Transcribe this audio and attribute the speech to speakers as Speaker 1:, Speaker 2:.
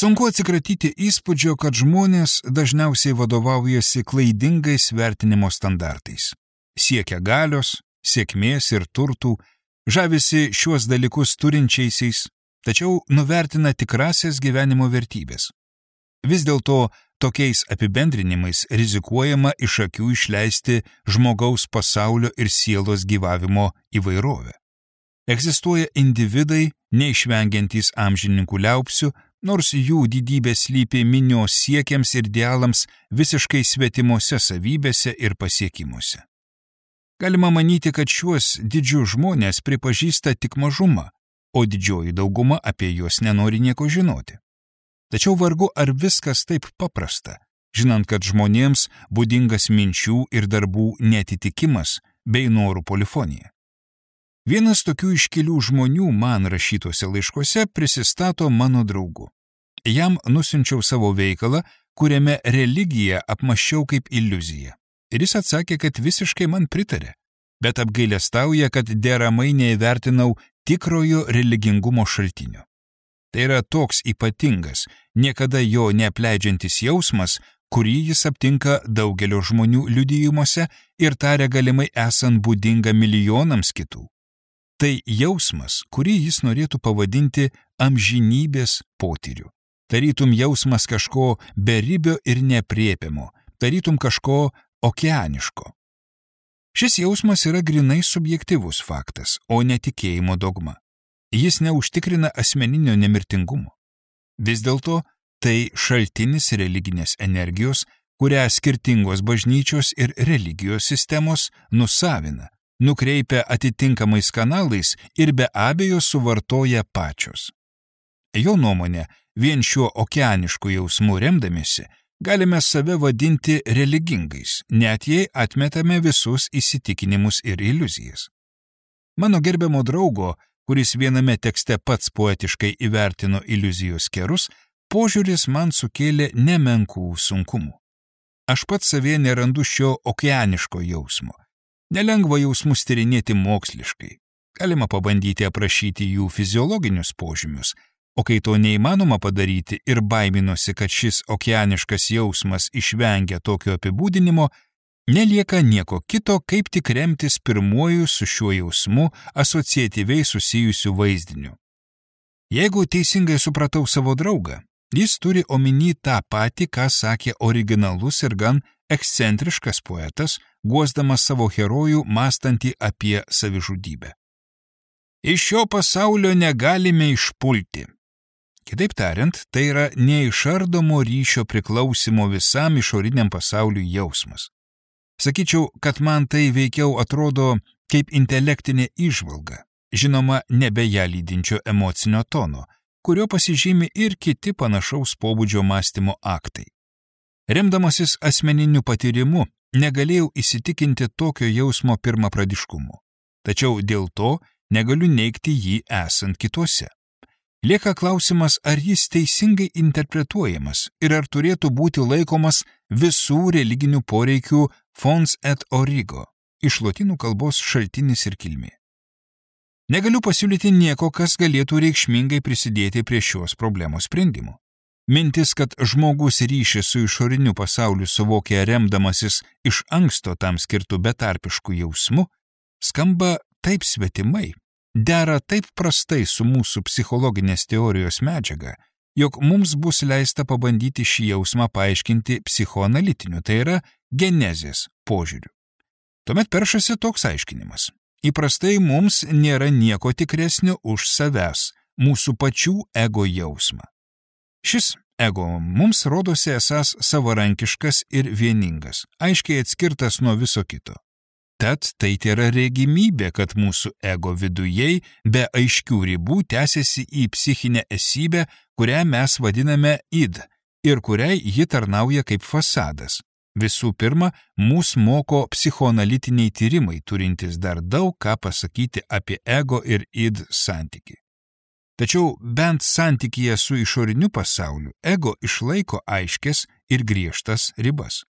Speaker 1: Sunku atsikratyti įspūdžio, kad žmonės dažniausiai vadovaujasi klaidingais vertinimo standartais. Siekia galios, sėkmės ir turtų, žavisi šiuos dalykus turinčiaisiais, tačiau nuvertina tikrasias gyvenimo vertybės. Vis dėlto tokiais apibendrinimais rizikuojama iš akių išleisti žmogaus pasaulio ir sielos gyvavimo įvairovę. Egzistuoja individai, neišvengiantys amžininkų liaupsių, nors jų didybė slypi minios siekiams ir idealams visiškai svetimose savybėse ir pasiekimuose. Galima manyti, kad šiuos didžius žmonės pripažįsta tik mažuma, o didžioji dauguma apie juos nenori nieko žinoti. Tačiau vargu ar viskas taip paprasta, žinant, kad žmonėms būdingas minčių ir darbų neatitikimas bei norų polifonija. Vienas tokių iškilių žmonių man rašytuose laiškuose prisistato mano draugu. Jam nusiunčiau savo veikalą, kuriame religiją apmąsčiau kaip iliuziją. Ir jis atsakė, kad visiškai man pritarė, bet apgailestauja, kad deramai neįvertinau tikrojo religingumo šaltinio. Tai yra toks ypatingas, niekada jo neapleidžiantis jausmas, kurį jis aptinka daugelio žmonių liudijimuose ir taria galimai esant būdinga milijonams kitų. Tai jausmas, kurį jis norėtų pavadinti amžinybės potyriu. Tarytum jausmas kažko beribio ir nepriepiamo, tarytum kažko okeaniško. Šis jausmas yra grinai subjektyvus faktas, o ne tikėjimo dogma. Jis neužtikrina asmeninio nemirtingumo. Vis dėlto tai šaltinis religinės energijos, kurią skirtingos bažnyčios ir religijos sistemos nusavina, nukreipia atitinkamais kanalais ir be abejo suvartoja pačios. Jo nuomonė, vien šiuo okeanišku jausmu remdamiesi, galime save vadinti religingais, net jei atmetame visus įsitikinimus ir iliuzijas. Mano gerbiamo draugo, kuris viename tekste pats poetiškai įvertino iliuzijos kerus, požiūris man sukėlė nemenkų sunkumų. Aš pats savie nerandu šio okeaniško jausmo. Nelengva jausmus tyrinėti moksliškai. Galima pabandyti aprašyti jų fiziologinius požymius, o kai to neįmanoma padaryti ir baiminosi, kad šis okeaniškas jausmas išvengia tokio apibūdinimo, nelieka nieko kito, kaip tik remtis pirmuoju su šiuo jausmu asociatyviai susijusiu vaizdiniu. Jeigu teisingai supratau savo draugą, jis turi omeny tą patį, ką sakė originalus ir gan ekscentriškas poetas, guosdamas savo herojų mąstantį apie savižudybę. Iš šio pasaulio negalime išpulti. Kitaip tariant, tai yra neišardomo ryšio priklausimo visam išoriniam pasauliui jausmas. Sakyčiau, kad man tai veikiau atrodo kaip intelektinė įžvalga, žinoma, nebe ją lydinčio emocinio tono, kurio pasižymi ir kiti panašaus pobūdžio mąstymo aktai. Remdamasis asmeniniu patyrimu, negalėjau įsitikinti tokio jausmo pirmapradiškumu, tačiau dėl to negaliu neigti jį esant kituose. Lieka klausimas, ar jis teisingai interpretuojamas ir ar turėtų būti laikomas visų religinių poreikių fons et origo, iš lotynų kalbos šaltinis ir kilmė. Negaliu pasiūlyti nieko, kas galėtų reikšmingai prisidėti prie šios problemos sprendimo. Mintis, kad žmogus ryšį su išoriniu pasauliu suvokia remdamasis iš anksto tam skirtų betarpiškų jausmų, skamba taip svetimai, dera taip prastai su mūsų psichologinės teorijos medžiaga, jog mums bus leista pabandyti šį jausmą paaiškinti psichoanalitiniu, tai yra genezės požiūriu. Tuomet peršasi toks aiškinimas. Įprastai mums nėra nieko tikresnio už savęs, mūsų pačių ego jausmą. Šis ego mums rodosi esąs savarankiškas ir vieningas, aiškiai atskirtas nuo viso kito. Tad tai yra regimybė, kad mūsų ego vidujei be aiškių ribų tęsiasi į psichinę esybę, kurią mes vadiname id ir kuriai ji tarnauja kaip fasadas. Visų pirma, mus moko psichoanalitiniai tyrimai, turintys dar daug ką pasakyti apie ego ir id santykį. Tačiau bent santykyje su išoriniu pasauliu ego išlaiko aiškes ir griežtas ribas.